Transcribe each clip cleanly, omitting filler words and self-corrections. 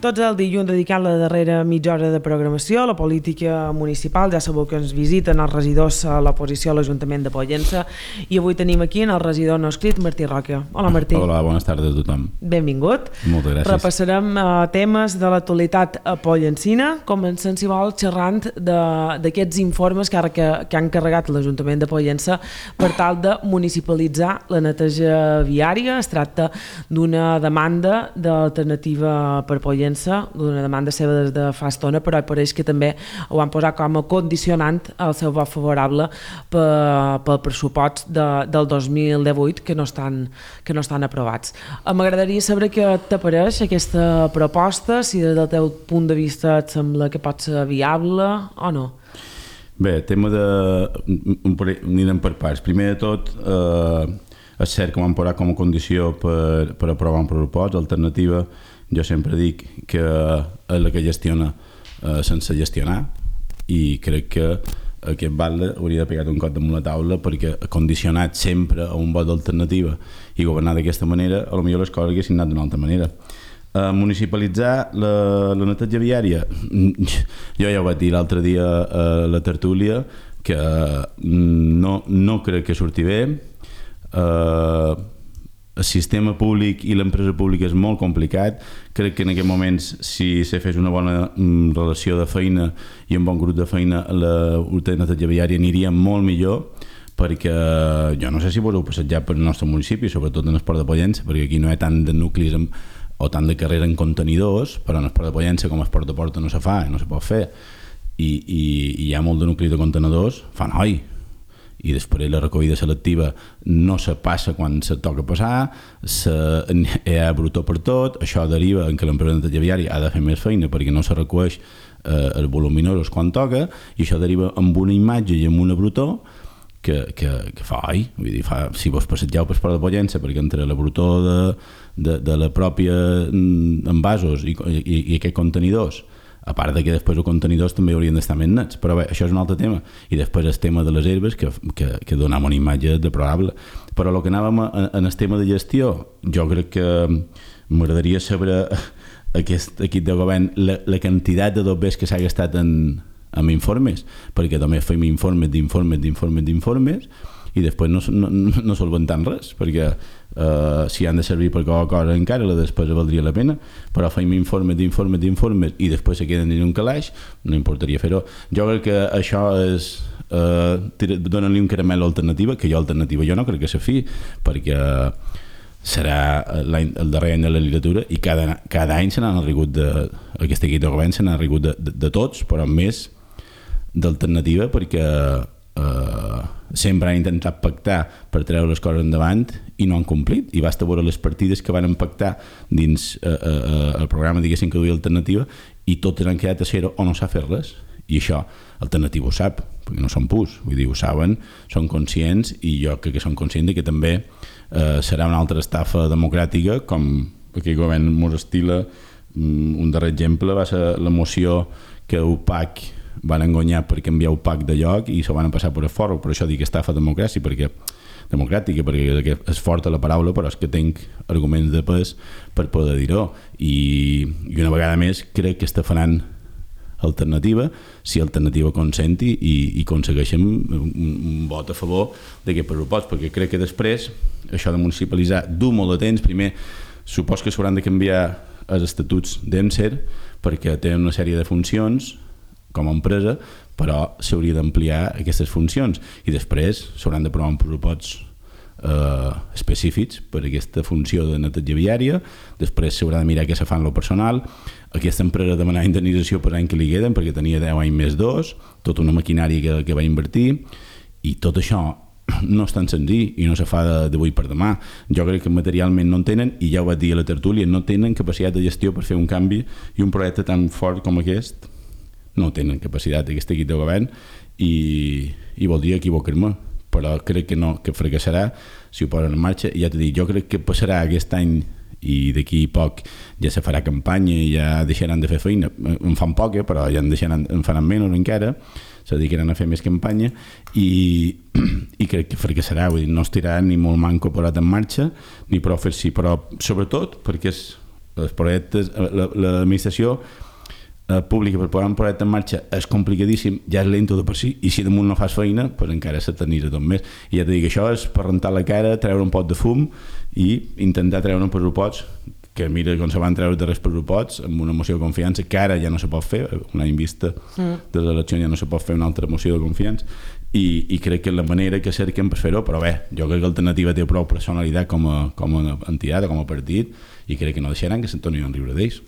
Tots el dilluns dedicant la darrera mitja hora de programació a la política municipal. Ja sabeu que ens visiten els regidors a l'oposició a l'Ajuntament de Pollença i avui tenim aquí el regidor no escrit, Martí Roca. Hola, Martí. Hola, bones tardes a tothom. Benvingut. Moltes gràcies. Repassarem temes de l'actualitat pollencina, començant, si vol, xerrant d'aquests informes que han encarregat l'Ajuntament de Pollença per tal de municipalitzar la neteja viària. Es tracta d'una demanda d'alternativa per Pollença, d'una demanda seva des de fa estona, però pareix que també ho han posat com a condicionant al seu vot favorable pel pressupost del 2018 que no estan aprovats. M'agradaria saber què t'apareix aquesta proposta, si des del teu punt de vista et sembla que pot ser viable o no. Bé, tema de... Anirem per parts. Primer de tot, és cert que m'han posat com a condició per aprovar un pressupost. L'alternativa, jo sempre dic que és la que gestiona sense gestionar, i crec que aquest batle hauria de pegar un cop damunt la taula, perquè condicionat sempre a un vot d'alternativa i governar d'aquesta manera, potser les coses haguessin anat d'una altra manera. Municipalitzar la neteja viària, jo ja ho vaig dir l'altre dia a la tertúlia, que no crec que surti bé. El sistema públic i l'empresa pública és molt complicat. Crec que en aquests moments, si se fes una bona relació de feina i un bon grup de feina, la neteja viària aniria molt millor, perquè jo no sé si voleu passejar per el nostre municipi, sobretot en el Port de Pollença, perquè aquí no hi ha tant de nuclis o tant de carrera en contenidors, però en el Port de Pollença, com el Port de Porta, no se fa, no se pot fer, i hi ha molt de nuclis de contenidors, fan oi, i després la recollida selectiva no se passa quan se toca passar, hi ha brutó per tot. Això deriva en que l'empresa de neteja viària ha de fer més feina perquè no se recull els voluminosos quan toca, i això deriva amb una imatge i amb una brutó que fa oi. Vull dir, si vos passegeu per Port de Pollença, perquè entre la brutó de la pròpia envasos i aquests contenidors, a part que després els contenidors també haurien d'estar més nets, però bé, això és un altre tema. I després el tema de les herbes, que donam una imatge deplorable. Però el que anàvem en el tema de gestió, jo crec que m'agradaria saber aquest equip de govern la quantitat de dobbers que s'ha gastat en informes, perquè també fem informes, i després no solventem res, perquè si han de servir per qualsevol cosa encara la despesa valdria la pena, però fem informes i després se queden en un calaix, no importaria fer-ho. Jo crec que això és donar-li un caramel alternativa, que jo no crec que se fi, perquè serà el darrer any de la legislatura i cada any se n'han arrigut aquest equip de govern se n'han arrigut de tots, però més d'alternativa, perquè sempre han intentat pactar per treure les coses endavant i no han complit, i basta veure les partides que van pactar dins el programa, diguéssim, que duia alternativa, i totes han quedat a zero o no s'ha fet res. I això Alternativa ho sap, perquè no són pus, vull dir, ho saben, són conscients, i jo crec que són conscients que també serà una altra estafa democràtica, com aquell govern mos estila. Un darrer exemple va ser la moció que UPAC van engonyar per canviar UPAC de lloc i se van passar per el foro. Per això dic estafa democràtica, perquè és forta la paraula, però és que tinc arguments de pes per poder dir-ho, i una vegada més crec que estafaran Alternativa, si Alternativa consenti i aconsegueixen un vot a favor d'aquest pressupost, perquè crec que després això de municipalitzar du molt de temps. Primer, supos que s'hauran de canviar els estatuts d'ENSER, perquè tenen una sèrie de funcions com a empresa, però s'hauria d'ampliar aquestes funcions, i després s'hauran d'aprovar un pressupost específics per aquesta funció de neteja viària. Després s'haurà de mirar què se fa en el personal. Aquesta empresa demanarà indemnització per l'any que li queden, perquè tenia 10 anys més 2, tota una maquinària que va invertir, i tot això no és tan senzill i no se fa d'avui per demà. Jo crec que materialment no en tenen, i ja ho vaig dir a la tertúlia, no tenen capacitat de gestió per fer un canvi, i un projecte tan fort com aquest no tenen capacitat, aquest equip de govern, i voldria equivocar-me, però crec que fracassarà si ho posen en marxa. I ja t'he dit, jo crec que passarà aquest any, i d'aquí poc ja se farà campanya i ja deixaran de fer feina. En fan poc, però ja en faran menys encara, se dedicaran a fer més campanya, i crec que fracassarà. Vull dir, no estirà ni molt manco posat en marxa, ni prou fer-s'hi, però sobretot perquè és els projectes, l'administració pública per posar un projecte en marxa és complicadíssim, ja és lento de per si, i si damunt no fas feina, pues encara s'eternitza tot més. I ja t'he dit que això és per rentar la cara, treure un pot de fum i intentar treure un pressupost que mira com se van treure darrers pressuposts amb una moció de confiança que ara ja no se pot fer, un any vista de les eleccions ja no se pot fer una altra moció de confiança i crec que és la manera que cerquen per fer-ho, però bé, jo crec que l'alternativa té prou personalitat com a entitat, com a partit, i crec que no deixaran que se'n tornin a riure d'ells.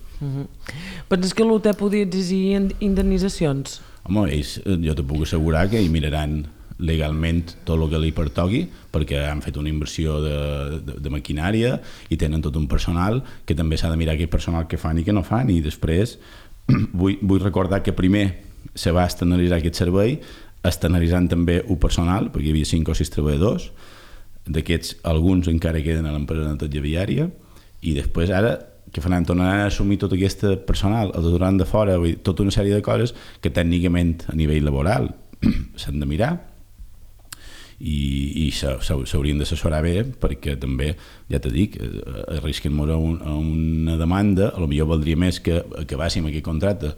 Penses que l'UT podia exigir indemnitzacions? Home, ells, jo te puc assegurar que hi miraran legalment tot el que li pertoqui perquè han fet una inversió de maquinària i tenen tot un personal que també s'ha de mirar aquell personal que fan i que no fan, i després vull recordar que primer se va externalitzar aquest servei, externalitzant també un personal, perquè hi havia 5 o 6 treballadors, d'aquests alguns encara queden a l'empresa de neteja viària, i després ara que faran, tornaran a assumir tot aquest personal, el donaran de fora, vull dir, tota una sèrie de coses que tècnicament a nivell laboral s'han de mirar i s'haurien d'assessorar bé, perquè també, ja t'he dit, arrisquen-nos a una demanda, potser valdria més que acabàssim aquest contracte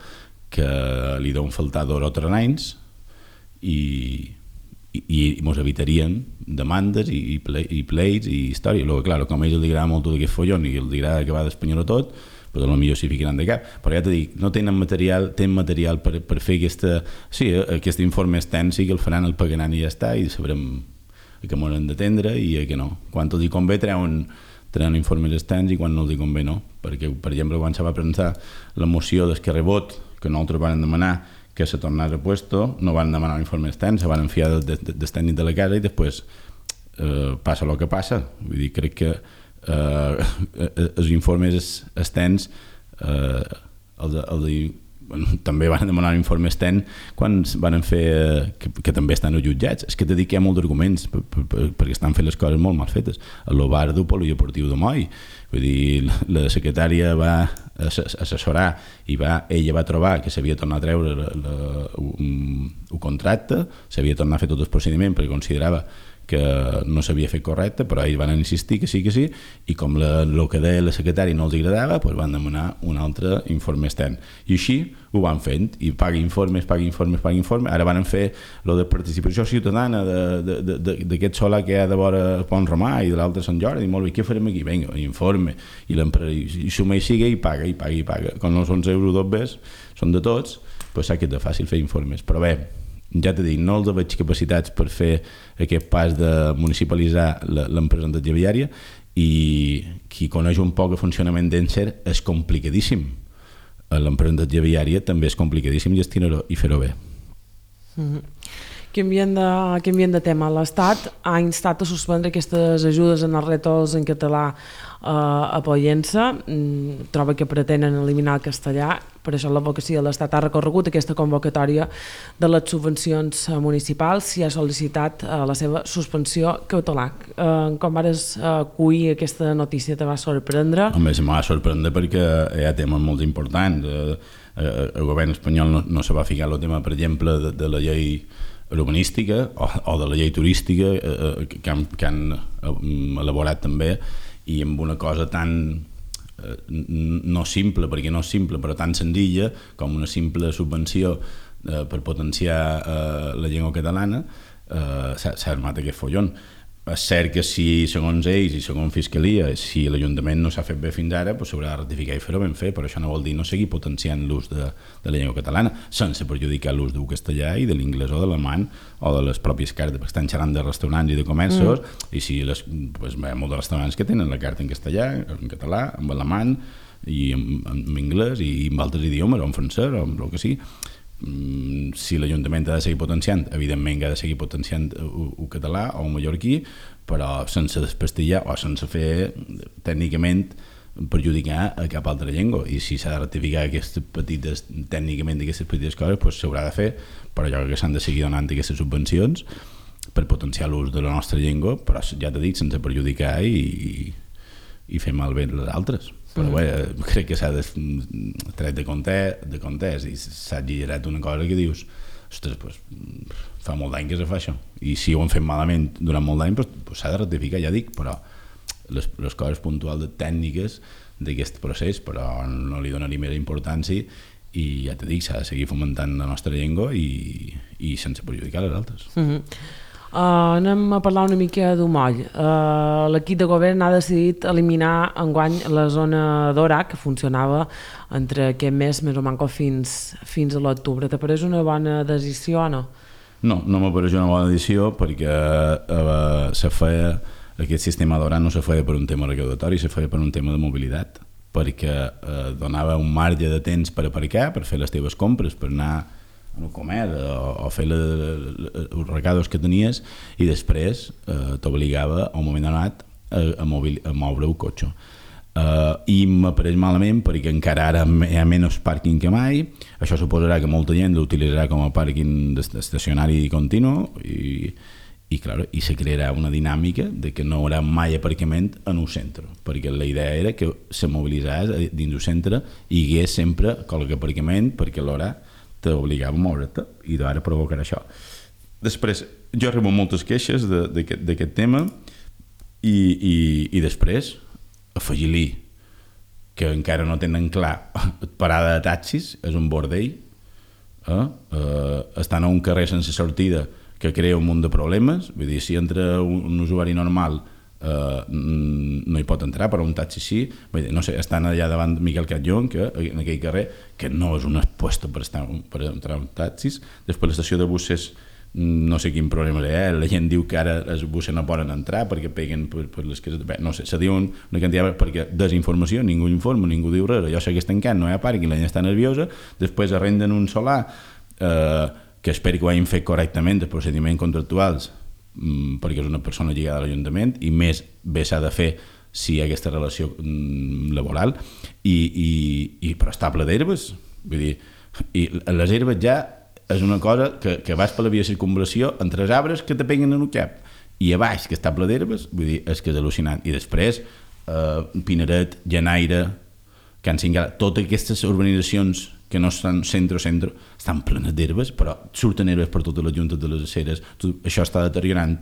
que li deuen faltar 2 o 3 anys i ens evitarien demandes i pleits i història. Clar, com a ells els agrada molt tot aquest follon i els agrada acabar d'espanyar-ho tot, però potser s'hi ficaran de cap. Però ja t'he dit, no tenen material per fer aquest informe extens, sí que el faran, el pagaran i ja està, i sabrem a què m'ho han d'atendre i a què no. Quan els hi convé treuen informes extens i quan no els hi convé no. Perquè, per exemple, quan se va presentar la moció d'Esquerra Vot, que nosaltres van demanar que se tornés a puesto, no van demanar informe extens, se van enfiar del tècnic de la casa i després passa el que passa. Vull dir, crec que els informes extens també van demanar un informe extens quan van fer que també estan jutjats. És que t'he dit que hi ha molts arguments perquè estan fent les coses molt mal fetes. El bar del Polideportiu de Moll, vull dir, la secretària va assessorar i ella va trobar que s'havia tornat a treure un contracte, s'havia tornat a fer tot el procediment perquè considerava que no s'havia fet correcte, però ells van insistir que sí, i com el que deia la secretària no els agradava, doncs van demanar un altre informe extern. I així ho van fent, i paga informes. Ara van fer lo de participació ciutadana d'aquest solar que hi ha de vora Pont Romà i de l'altre Sant Jordi, i molt bé, què farem aquí? Vinga, informe, i suma i siga i paga. Com no són euros dobles, són de tots, doncs sap que és de fàcil fer informes. Però bé, ja t'he dit, no els veig capacitats per fer aquest pas de municipalitzar l'empresa de viària, i qui coneix un poc el funcionament d'Encer és complicadíssim. L'empresa de viària també és complicadíssim gestionar-ho i fer-ho bé. Canviant de tema, l'Estat ha instat a suspendre aquestes ajudes en els rètols en català a Pollença. Troba que pretenen eliminar el castellà, per això l'advocacia de l'Estat ha recorregut aquesta convocatòria de les subvencions municipals i ha sol·licitat la seva suspensió cautelar. Com vares acollir aquesta notícia, te va sorprendre? Home, se m'ha sorprendre perquè hi ha temes molt importants. El govern espanyol no se va ficar el tema, per exemple, de la llei urbanística o de la llei turística que han elaborat també, i amb una cosa tan no simple, perquè no és simple, però tan senzilla com una simple subvenció per potenciar la llengua catalana, s'ha armat aquest follon. És cert que si, segons ells i segons Fiscalia, si l'Ajuntament no s'ha fet bé fins ara, s'haurà de ratificar i fer-ho ben fet, però això no vol dir no seguir potenciant l'ús de la llengua catalana, sense perjudicar l'ús del castellà i de l'inglès o de l'alemany o de les pròpies cartes, perquè estan xerrant de restaurants i de comerços, i si hi ha molts de restaurants que tenen la carta en castellà, en català, en alemany, i en anglès, i en altres idiomes, o en francès, o en el que sigui. Si l'Ajuntament ha de seguir potenciant, evidentment que ha de seguir potenciant el català o el mallorquí, però sense desprestigiar o sense fer tècnicament perjudicar a cap altra llengua. I si s'ha de ratificar tècnicament aquestes petites coses, doncs s'haurà de fer, però jo crec que s'han de seguir donant aquestes subvencions per potenciar l'ús de la nostra llengua, però ja t'he dit, sense perjudicar i fer malbé les altres. Però bé, crec que s'ha tret de context i s'ha exagerat una cosa que dius, ostres, fa molt d'any que se fa això, i si ho han fet malament durant molt d'any s'ha de ratificar, ja dic, però les coses puntuals tècniques d'aquest procés, però no li donaria més importància i ja t'he dit, s'ha de seguir fomentant la nostra llengua i sense perjudicar les altres. Anem a parlar una mica d'Humoll. L'equip de govern ha decidit eliminar enguany la zona d'Orà, que funcionava entre aquest mes més o manco fins a l'octubre. Te pareix una bona decisió o no? No me pareix una bona decisió perquè se feia aquest sistema d'Orà no se feia per un tema recaudatori, se feia per un tema de mobilitat, perquè donava un marge de temps per aparcar, per fer les teves compres, per anar a comer o fer els recados que tenies, i després t'obligava a un moment donat a moure el cotxe. I m'apareix malament perquè encara ara hi ha menys pàrquing que mai. Això suposarà que molta gent l'utilitzarà com a pàrquing estacionari continu i se crearà una dinàmica de que no hi haurà mai aparcament en un centre, perquè la idea era que se mobilitzés dins del centre i hi hagués sempre qualque aparcament, perquè l'hora t'obligava a moure't i ara provocarà això. Després, jo rebo moltes queixes d'aquest tema i després afegir-li que encara no tenen clar parada de taxis, és un bordell, estan a un carrer sense sortida que crea un munt de problemes. Vull dir, si entra un usuari normal no hi pot entrar, però un taxi sí. Vull dir, no sé, estan allà davant Miquel Catllón, que en aquell carrer, que no és un puesto per entrar en taxis. Després l'estació de buses, no sé quin problema hi ha, la gent diu que ara els buses no poden entrar perquè peguen per les cases. Bé, no sé, se diu una quantitat perquè desinformació, ningú informa, ningú diu res, allò segueix tancant, no hi ha pàrquing, la gent està nerviosa, després arrenden un solar que espero que ho hagin fet correctament, els procediments contractuals, perquè és una persona lligada a l'Ajuntament, i més bé s'ha de fer si hi ha aquesta relació laboral, però està ple d'herbes. Vull dir, i les herbes ja és una cosa que vas per la via de circunvalació entre els arbres que te peguen en el cap, i a baix, que està ple d'herbes, vull dir, és que és al·lucinant. I després, Pinaret, Llanaire, Can Cingala, totes aquestes urbanitzacions que no estan centre-centre, estan plenes d'herbes, però surten herbes per totes les juntes de les aceres. Això està deteriorant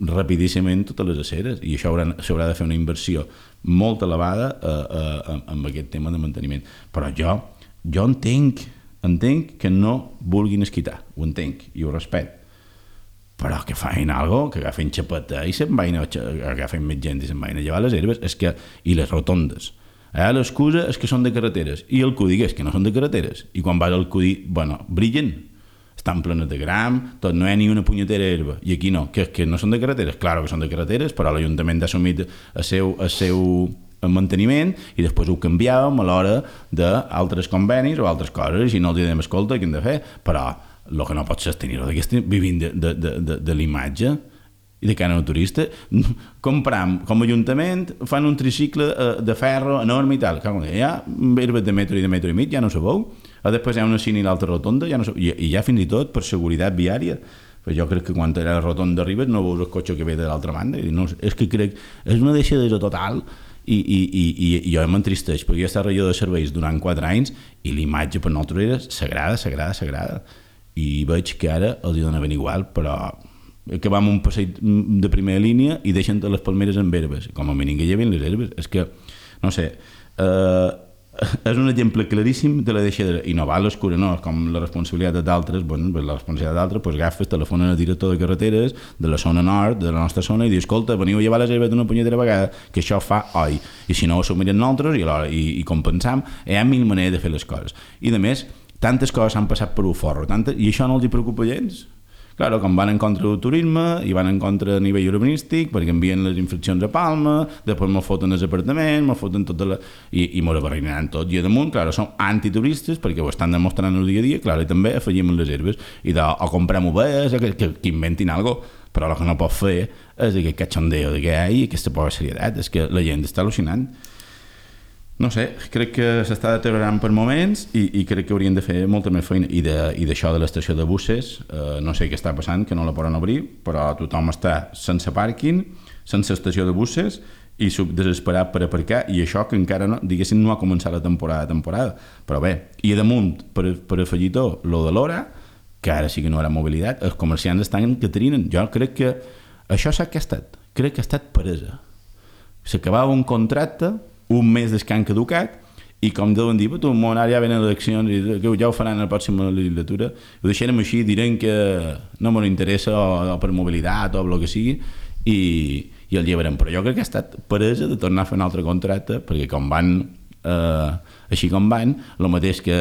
rapidíssimament totes les aceres, i això s'haurà de fer una inversió molt elevada amb aquest tema de manteniment. Però jo entenc que no vulguin esquitar, ho entenc i ho respecto, però que facin alguna cosa, que agafen xapeta i agafen més gent i se'n vagin a llevar les herbes, i les rotondes. L'excusa és que són de carreteres, i el Cudi és que no són de carreteres, i quan vas al Cudi, brillen, estan plenes de gram, no hi ha ni una punyetera herba, i aquí no, que no són de carreteres, clar que són de carreteres, però l'Ajuntament ha assumit el seu manteniment, i després ho canviàvem a l'hora d'altres convenis o altres coses, i no els diem, escolta, què hem de fer? Però el que no pot ser és tenir-ho vivint de l'imatge i de cara al turista. Compram com a Ajuntament, fan un tricicle de ferro enorme i tal, hi ha herbes de metro i mig, ja no sabeu, després hi ha una cine i l'altra rotonda, i ja fins i tot per seguretat viària. Però jo crec que quan a la rotonda arribes no veus el cotxe que ve de l'altra banda, és que crec, és una deixadesa total, i jo m'entristeix perquè jo he estat regidor de serveis durant 4 anys i l'imatge per nosaltres era sagrada, i veig que ara els hi dona ben igual, però que vam un passeig de primera línia i deixen les palmeres amb herbes, com a mínim que lleven les herbes. És que, no sé, és un exemple claríssim de la deixadera, i no va a l'escura, no, com la responsabilitat d'altres, la responsabilitat d'altres, agafes, telefona al director de carreteres de la zona nord, de la nostra zona, i dius, escolta, veniu a llevar les herbes d'una punyetera vegada, que això fa oi, i si no ho assumirem nosaltres i compensam, hi ha 1000 maneres de fer les coses. I a més, tantes coses s'han passat per un forro, i això no els preocupa gens. Claro, com van en contra del turisme i van en contra a nivell urbanístic perquè envien les infraccions a Palma, després me'l foten els apartaments, me'l foten i m'ho barreinaran tot. I a damunt, claro, som antituristes perquè ho estan demostrant el dia a dia, claro, i també afegim les herbes i o comprem ovelles, que inventin alguna cosa, però el que no pot fer és aquest cachondeo que hi ha i aquesta poca serietat, és que la gent està al·lucinant. No sé, crec que s'està deteriorant per moments i crec que haurien de fer molta més feina. I d'això de l'estació de buses, no sé què està passant, que no la poden obrir, però tothom està sense pàrquing, sense estació de buses i desesperat per aparcar, i això que encara no, diguéssim, no ha començat la temporada. Però bé, i a damunt, per afegir tot, lo de l'hora, que ara sí que no hi haurà mobilitat, els comerciants estan que trinen. Jo crec que això sap què ha estat? Crec que ha estat peresa. S'acabava un contracte, un mes des que han caducat, i com deuen dir, tu, ara ja venen eleccions i que ja ho faran a la pròxima legislatura, ho deixarem així, direm que no m'ho interessa o per mobilitat o el que sigui, i el llevarem. Però jo crec que ha estat peresa de tornar a fer un altre contracte, perquè com van, així com van, el mateix que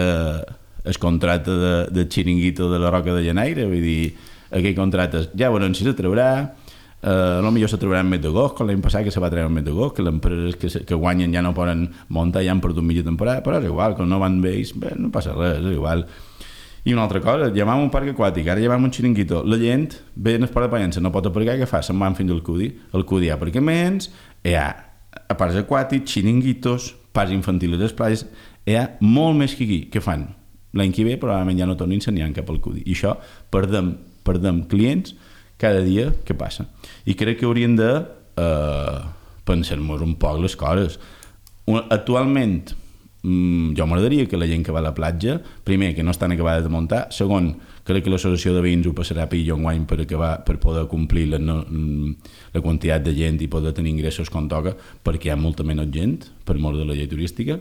el contracte de Chiringuito de la Roca de Llaneire, vull dir, aquell contracte ja veurem si se traurà, potser se trauran més d'agost, com l'any passat que se va treure més d'agost, que les empreses que guanyen ja no poden muntar, ja han perdut mitja temporada, però és igual, com no van bé, no passa res, és igual. I una altra cosa, llamam un parc aquàtic, ara llamam un Chiringuito, la gent ve en el port de Pollença, no pot aparcar, què fa? Se'n van fins al Cudi, al Cudi hi ha aparcaments, hi ha parcs aquàtics, Chiringuitos, parcs infantils a les platges, hi ha molt més que aquí, què fan? L'any que ve probablement ja no tornin a n'hi cap al Cudi, i això perdem clients cada dia que passa. I crec que hauríem de pensar-nos un poc les coses. Actualment, jo m'agradaria que la gent que va a la platja, primer, que no estan acabades de muntar, segon, crec que l'associació de veïns ho passarà pillo enguany per poder complir la quantitat de gent i poder tenir ingressos com toca, perquè hi ha molta menys gent, per mort de la llei turística.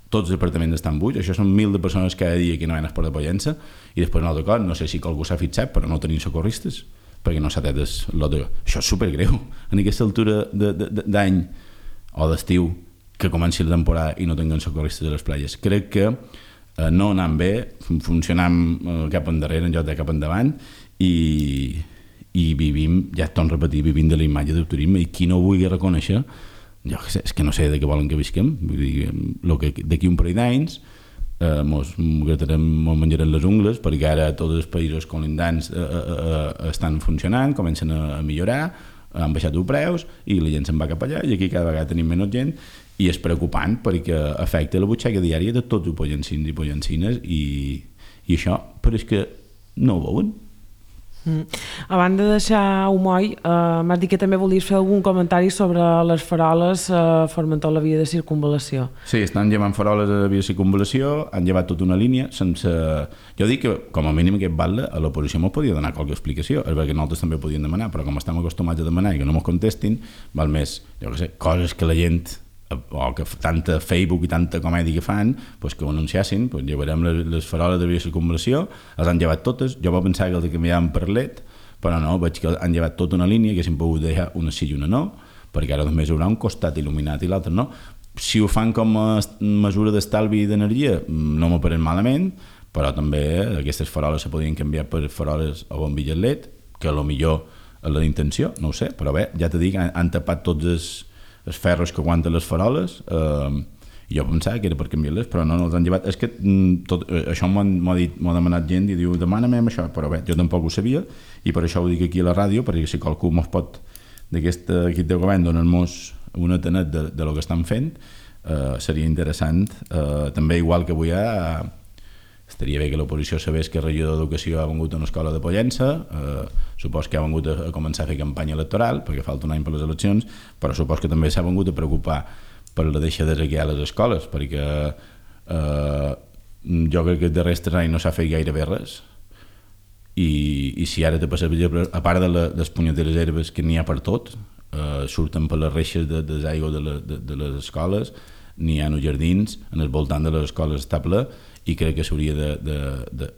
Tots els apartaments estan buits, això són 1.000 de persones cada dia que no van a Esport de Pollença, i després un altre cop, no sé si algú s'ha fixat, però no tenim socorristes, perquè no s'ha tret això és supergreu en aquesta altura d'any o d'estiu que comenci la temporada i no tinguem socorristes a les platges. Crec que no anant bé, funcionant cap endarrere en lloc de cap endavant, i vivim, ja et torno a repetir, vivim de la imatge del turisme, i qui no ho vulgui reconèixer, jo que sé, és que no sé de què volen que visquem. Vull dir, d'aquí un parell d'anys mos menjarem les ungles, perquè ara tots els països colindants estan funcionant, comencen a millorar, han baixat els preus i la gent se'n va cap allà, i aquí cada vegada tenim menys gent, i és preocupant perquè afecta la butxaca diària de tots els pollencins i pollencines, i això, però és que no ho veuen. A banda de deixar Humoi, m'has dit que també volies fer algun comentari sobre les faroles Formentor la via de circunvalació. Sí, estan llevant faroles a la via de circunvalació, han llevat tota una línia sense... Jo dic que com a mínim aquest batle a l'oposició mos podia donar qualque explicació, és perquè nosaltres també podíem demanar, però com estem acostumats a demanar i que no mos contestin, val més, jo què sé, coses que la gent o que tanta Facebook i tanta comèdia que fan, pues que ho anunciassin, pues llevarem les faroles de via de circunvalació, les han llevat totes, jo vaig pensar que els canviaven per LED, però no, veig que han llevat tota una línia, que s'han pogut deixar una sí i una no, perquè ara només hi haurà un costat il·luminat i l'altre no. Si ho fan com a mesura d'estalvi d'energia, no m'ho pareix malament, però també aquestes faroles se podien canviar per faroles o bombilles LED, que potser és la intenció, no ho sé, però bé, ja t'he dit, han tapat tots els ferros que aguanten les faroles, i jo pensava que era per canviar-les, però no els han llevat. És que això m'ha demanat gent i diu, demana-me això, però bé, jo tampoc ho sabia, i per això ho dic aquí a la ràdio, perquè si qualcú mos pot, d'aquest equip de govern, donar-nos un atenet de lo que estan fent, seria interessant. També, igual que avui estaria bé que l'oposició sabés que el regidor d'Educació ha vengut a una escola de Pollença, supos que ha vengut a començar a fer campanya electoral, perquè falta un any per les eleccions, però supos que també s'ha vengut a preocupar per la deixadesa que hi ha a les escoles, perquè jo crec que els darrers 3 anys no s'ha fet gairebé res, i si ara te passa, a part de les punyeteres herbes que n'hi ha per tot, surten per les reixes de l'aigua de les escoles, n'hi ha els jardins, en el voltant de les escoles està ple, i crec que s'hauria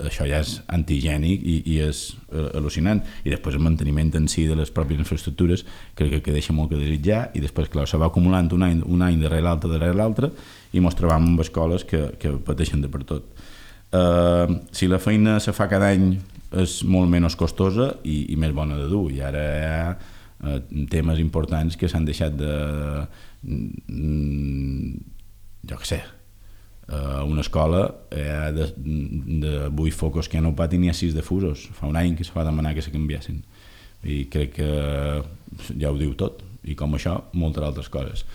això ja és antigènic i és al·lucinant, i després el manteniment en si de les pròpies infraestructures crec que deixa molt que desitjar, i després clar, se va acumulant un any darrere l'altre i ens trobam amb escoles que pateixen de per tot. Si la feina se fa cada any és molt menys costosa i més bona de dur, i ara hi ha temes importants que s'han deixat jo què sé, una escola de 8 focus que hi ha un pati n'hi ha 6 de fusos, fa un any que se va demanar que se canviessin, i crec que ja ho diu tot, i com això moltes altres coses,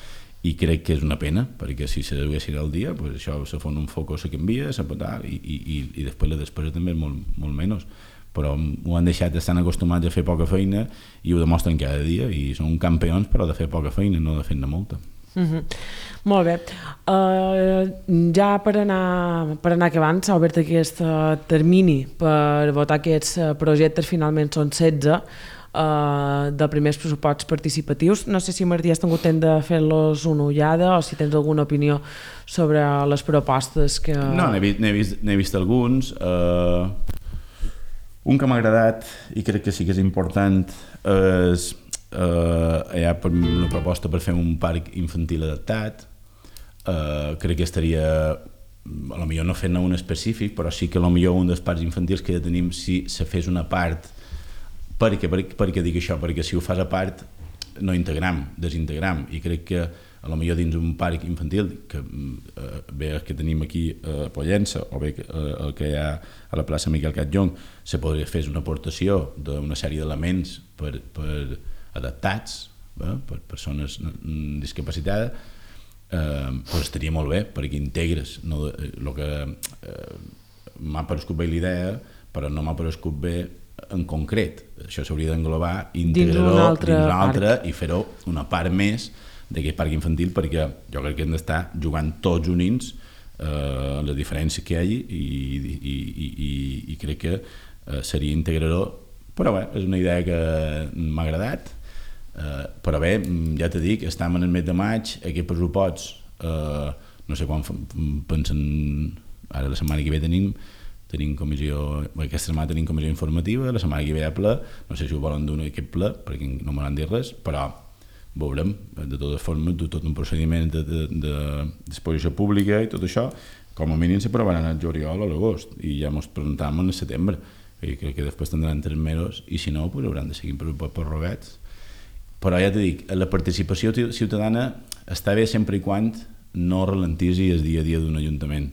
i crec que és una pena, perquè si se duguessin al dia, pues això se fon un foco, se canvia, i després la despesa també és molt menys, però ho han deixat, estan acostumats a fer poca feina i ho demostren cada dia, i són campions però de fer poca feina, no de fer-ne molta. Molt bé, ja per anar acabant s'ha obert aquest termini per votar aquests projectes, finalment són 16. de primers pressuposts participatius. No sé si, Martí, has tingut temps de fer-los una ullada o si tens alguna opinió sobre les propostes que... No, n'he vist alguns. Un que m'ha agradat i crec que sí que és important és hi ha una proposta per fer un parc infantil adaptat. Crec que estaria, a lo millor no fent-ne un específic, però sí que a lo millor un dels parcs infantils que ja tenim, si se fes una part, perquè dic això, perquè si ho fas a part no integram, desintegram, i crec que a lo millor dins un parc infantil que bé el que tenim aquí a Pollença o bé el que hi ha a la plaça Miquel Catllong se podria fer una aportació d'una sèrie d'elements per adaptats per persones discapacitades, però estaria molt bé perquè integres el que m'ha parescut bé l'idea, però no m'ha parescut bé en concret. Això s'hauria d'englobar, integrar-ho dins un altre i fer-ho una part més d'aquest parc infantil, perquè jo crec que hem d'estar jugant tots units les diferències que hi hagi i crec que seria integrar-ho, però bé, és una idea que m'ha agradat. Però bé, ja t'he dit, estem en el mes de maig, aquests pressuposts no sé quan pensen, ara la setmana que ve tenim comissió, aquesta setmana tenim comissió informativa, la setmana que ve hi ha ple, no sé si ho volen donar aquest ple perquè no m'han dit res, però veurem, de totes formes, tot un procediment d'exposició pública i tot això, com a mínim s'aprovaran al juliol o a l'agost i ja ens presentam en el setembre i crec que després tindran 3 mesos i si no, hauran de seguir prorrogats. Però ja t'he dit, la participació ciutadana està bé sempre i quan no ralentisi el dia a dia d'un ajuntament.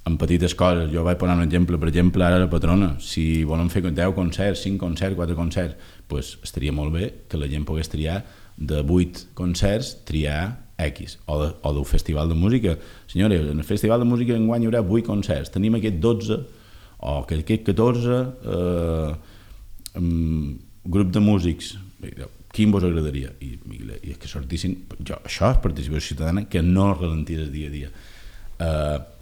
En petites coses, jo vaig posar un exemple, per exemple, ara la Patrona, si volen fer 10 concerts, 5 concerts, 4 concerts, doncs estaria molt bé que la gent pogués triar de 8 concerts, triar X, o del festival de música. Senyores, en el festival de música enguany hi haurà 8 concerts, tenim aquest 12, o aquest 14, grup de músics, quin vos agradaria? I és que sortissin... Això és participació ciutadana que no ralentís el dia a dia.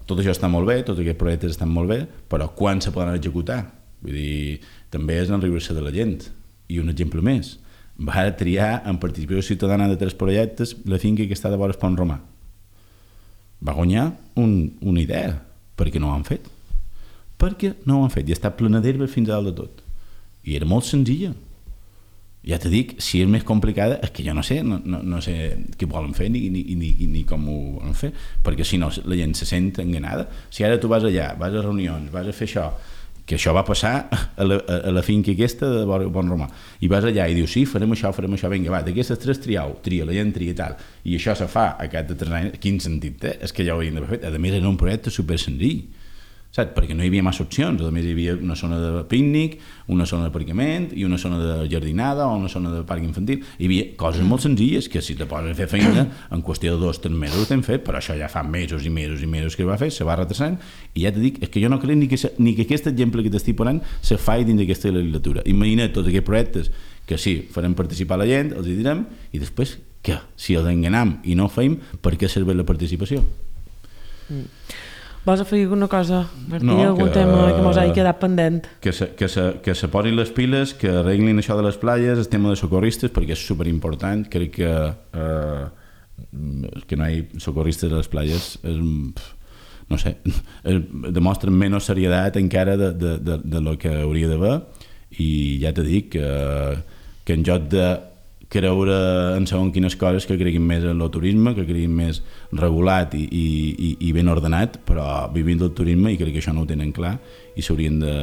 Tot això està molt bé, tots aquests projectes estan molt bé, però quan se poden executar? Vull dir, també és enriure-se de la gent. I un exemple més, va triar en participació ciutadana de 3 projectes la finca que està de vora el Pont Romà. Va guanyar una idea, perquè no ho han fet. Perquè no ho han fet, i està plena d'herba fins a dalt de tot. I era molt senzilla. Ja t'he dit, si és més complicada és que jo no sé què volen fer ni com ho volen fer, perquè si no la gent se sent enganada. Si ara tu vas allà, vas a reunions, vas a fer això, que això va passar a la finca aquesta de Bon Romà, i vas allà i dius, sí, farem això, vinga, va, d'aquestes 3 tria, la gent tria i tal, i això se fa a cap de 3 anys, quin sentit té? És que ja ho hauríem d'haver fet. A més, era un projecte super senzill, saps? Perquè no hi havia massa opcions, a més hi havia una zona de pícnic, una zona d'aparcament i una zona de jardinada o una zona de parc infantil. Hi havia coses molt senzilles que si te posen a fer feina en qüestió de 2 o 3 mesos ho t'hem fet, però això ja fa mesos i mesos i mesos que va fer, se va retrasant i ja t'he dit, és que jo no crec ni que aquest exemple que t'estic posant se faci dins d'aquesta legislatura. Imagina't tots aquests projectes que sí, farem participar la gent, els hi direm i després què? Si els enganam i no ho feim, per què serveix la participació? Vols afegir alguna cosa, Martí? No, algun tema que mos hagi quedat pendent? Que se posin les piles, que arreglin això de les platges, el tema de socorristes, perquè és superimportant. Crec que no hi ha socorristes a les platges no sé, demostren menys serietat encara de lo que hauria d'haver i ja t'he dit que en lloc de creure en segons quines coses que creguin més en el turisme, que creguin més regulat i ben ordenat, però vivint del turisme i crec que això no ho tenen clar i s'haurien de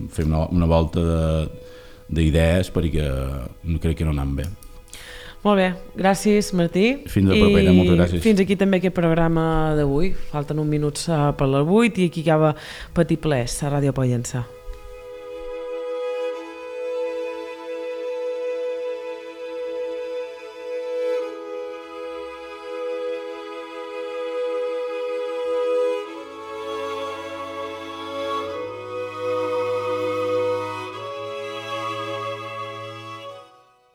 fer una volta d'idees perquè crec que no anem bé. Molt bé, gràcies Martí. Fins a la propera, moltes gràcies. Fins aquí també aquest programa d'avui. Falten uns minuts per les 8 i aquí acaba Petit Plès a Ràdio Pollença.